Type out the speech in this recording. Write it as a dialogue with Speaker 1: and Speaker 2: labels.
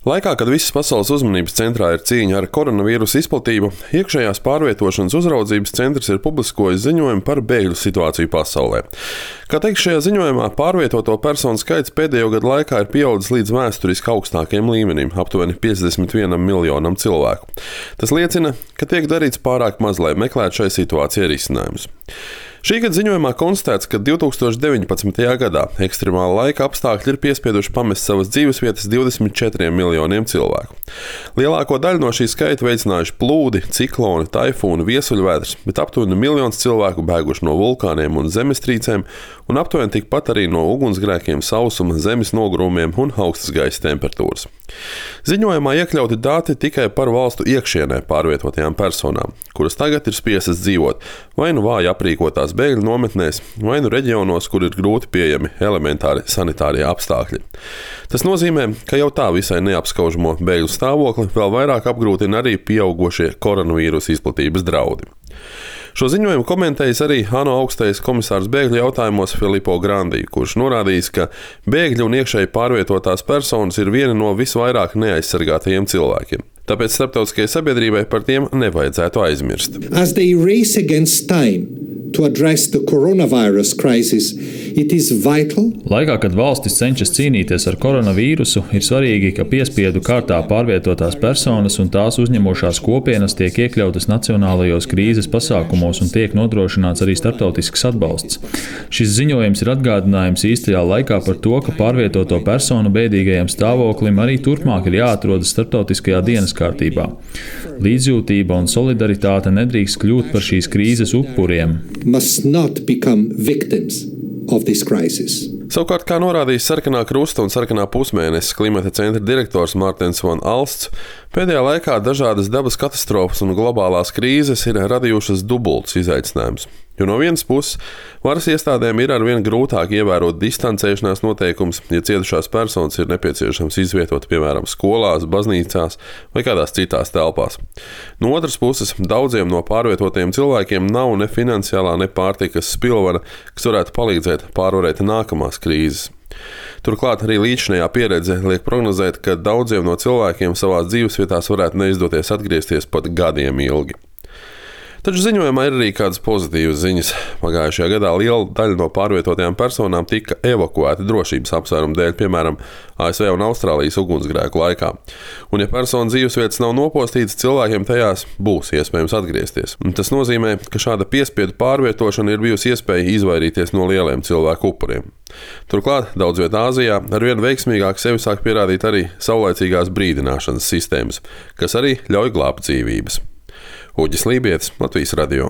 Speaker 1: Laikā, kad visas pasaules uzmanības centrā ir cīņa ar koronavīrusa izplatību, iekšējās pārvietošanas uzraudzības centrs ir publiskojis ziņojumu par bēgļu situāciju pasaulē. Kā teikts šajā ziņojumā, pārvietoto personu skaits pēdējo gadu laikā ir pieaudzis līdz vēsturiski augstākajam līmenim, aptuveni 51 miljonam cilvēku. Tas liecina, ka tiek darīts pārāk maz, lai meklētu šai situācijai risinājumus. Šī gada ziņojumā konstatēts, ka 2019. gadā ekstremāla laika apstākļi ir piespieduši pamest savas dzīvesvietas 24 miljoniem cilvēku. Lielāko daļu no šī skaita veicinājuši plūdi, cikloni, taifūni, viesuļvētras, bet aptuveni 1 miljons cilvēku bēguši no vulkāniem un zemestrīcēm, un aptuveni tikpat arī no ugunsgrēkiem, sausuma, zemes nogrūmiem un augstas gaisa temperatūras. Ziņojumā iekļauti dati tikai par valstu iekšienē pārvietotajām personām, kuras tagad ir spiestas dzīvot vai nu vāji aprīkotās bēgļu nometnēs, vai nu reģionos, kur ir grūti pieejami elementāri sanitārie apstākļi. Tas nozīmē, ka jau tā visai neapskaužamo bēgļu stāvokli vēl vairāk apgrūtina arī pieaugošie koronavīrusa izplatības draudi. Šo ziņojumu komentējis arī ANO augstais komisārs bēgļu jautājumos Filippo Grandi, kurš norādījis, ka bēgļi un iekšēji pārvietotās personas ir vieni no visvairāk neaizsargātajiem cilvēkiem. Tāpēc starptautiskajai sabiedrībai par tiem nevajadzētu aizmirst.
Speaker 2: As they race against time to address the coronavirus crisis, it is vital.
Speaker 3: Laikā, kad valstis cenšas cīnīties ar koronavīrusu, ir svarīgi, ka piespiedu kārtā pārvietotās personas un tās uzņemošās kopienas tiek iekļautas nacionālajos krīzes pasākumos un tiek nodrošināts arī starptautisks atbalsts. Šis ziņojums ir atgādinājums īstajā laikā par to, ka pārvietoto personu bēdīgajam stāvoklim arī turpmāk ir jāatrodas starptautiskajā dienas kārtībā. Līdzjūtība un solidaritāte nedrīkst kļūt par šīs krīzes upuriem.
Speaker 2: Must not become victims of this crisis.
Speaker 1: Savukārt, kā norādījis Sarkanā krusta un Sarkanā pusmēnesis klimata centra direktors Mārtens Van Alsts, pēdējā laikā dažādas dabas katastrofas un globālās krīzes ir radījušas dubultus izaicinājumus. Jo no vienas puses, varas iestādēm ir arvien grūtāk ievērot distancēšanās noteikumus, ja cietušās personas ir nepieciešams izvietot, piemēram, skolās, baznīcās vai kādās citās telpās. No otras puses, daudziem no pārvietotiem cilvēkiem nav ne finansiālā, ne pārtikas spilvena, kas varētu palīdzēt pārvarēt nākamās krīzes. Turklāt arī līdzinājā pieredze liek prognozēt, ka daudziem no cilvēkiem savās dzīvesvietās varētu neizdoties atgriezties pat gadiem ilgi. Taču ziņojumā ir arī kādas pozitīvas ziņas. Pagājušajā gadā liela daļa no pārvietotajām personām tika evakuēta drošības apsvērumu dēļ, piemēram, ASV un Austrālijas ugunsgrēku laikā. Un ja personu dzīvesvietas nav nopostītas, cilvēkiem tajās būs iespējams atgriezties. Un tas nozīmē, ka šāda piespiedu pārvietošana ir bijusi iespēja izvairīties no lieliem cilvēku upuriem. Turklāt daudz vietā Āzijā arvien veiksmīgāk sevi sāk pierādīt arī saulaicīgās brīdināšanas sistēmas, kas arī ļauj glābt dzīvības. Uģis Lībietis, Latvijas radio.